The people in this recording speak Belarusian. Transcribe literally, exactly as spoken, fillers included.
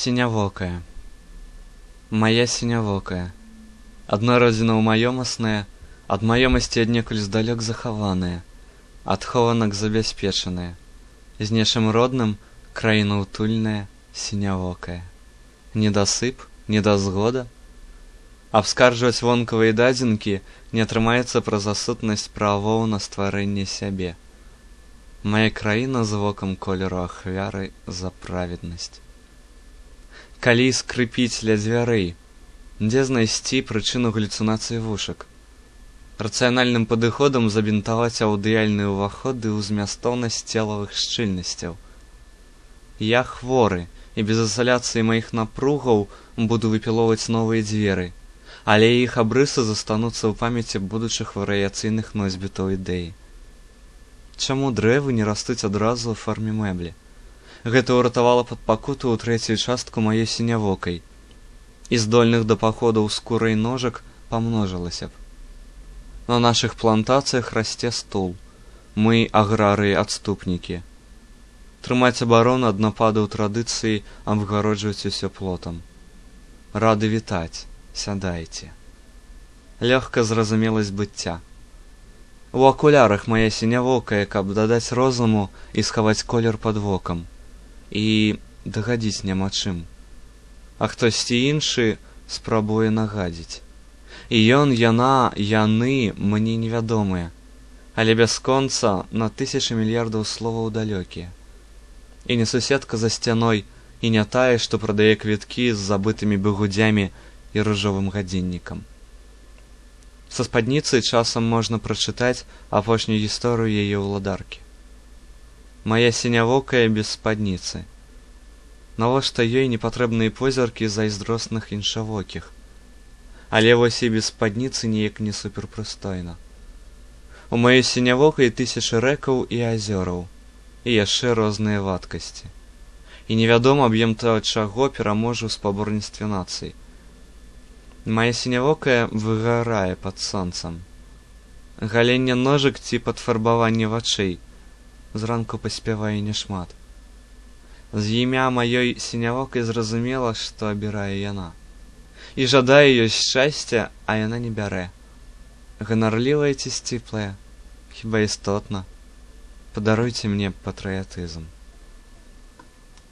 Сінявокая. Мая сінявокая, адна родзіна маёмасная, ад маёмасці аднекуль здалёк захаваная, ад хованак забяспечаная, з нечым родным краіна утульная, сінявокая. Недасып, недазгода? Абскарджваць вонкавыя дадзенкі не атрымаецца праз асутнасць правоў на стварэнне сябе. Мая краіна з вокам колеру ахвяры за праведнасць. Калі скрыпіць ля дзвярэй, дзе знайсці прычыну галюцынацыі вушак? Рацыянальным падыходам забінтаваць аўдыяльныя ўваходы ў змястоўнасць целавых шчыльнасцяў. Я хворы, і без ізаляцыі маіх напругаў буду выпілоўваць новыя дзверы, але іх абрысы застануцца ў памяці будучых варыяцыйных носьбітаў ідэі. Чаму дрэвы не растуць адразу ў форме мэблі? Гэта ўратавала пад пакуту ў трэцюю частку маёй сінявокай, і здольных да паходаў скурай ножак памножылася б. На нашых плантацыях расце стул. Мы аграрыі-адступнікі. Трымаць абарону ад нападаў традыцыі, абгароджваць усё плотам. Рады вітаць, сядайце. Лёгка зразумеласць быцця. У акулярах мая сінявокая, каб дадаць розуму і схаваць колер пад вокам. І дагадзіць няма чым. А хтосьці іншы спрабуе нагадзіць. І ён, яна, яны мне невядомыя, але бясконца на тысячы мільярдаў словаў далёкія. І не суседка за сцяной, і не тая, што прадае квіткі з забытымі бігудзямі і ружовым гадзіннікам. Са спадніцы часам можна прачытаць апошнюю гісторыю яе ўладаркі. Мая сінявокая без спадніцы. Навошта ёй непатрэбныя позіркі зайздросных іншавокіх? Але вось і без спадніцы неяк не суперпрыстойна. У маёй сінявокай тысячы рэкаў і азёраў, і яшчэ розныя вадкасці. І невядома аб'ем таго, чаго пераможа ў спаборніцтве нацый. Мая сінявокая выгарае пад сонцам. Галенне ножак ці падфарбаванне вачэй. Зранку паспявае няшмат. З імя маёй сінявокай зразумела, што абірае яна. І жадае ёй шчасця, а яна не бярэ. Ганарлівая ці сціплая? Хіба істотна? Падаруйце мне патрыятызм.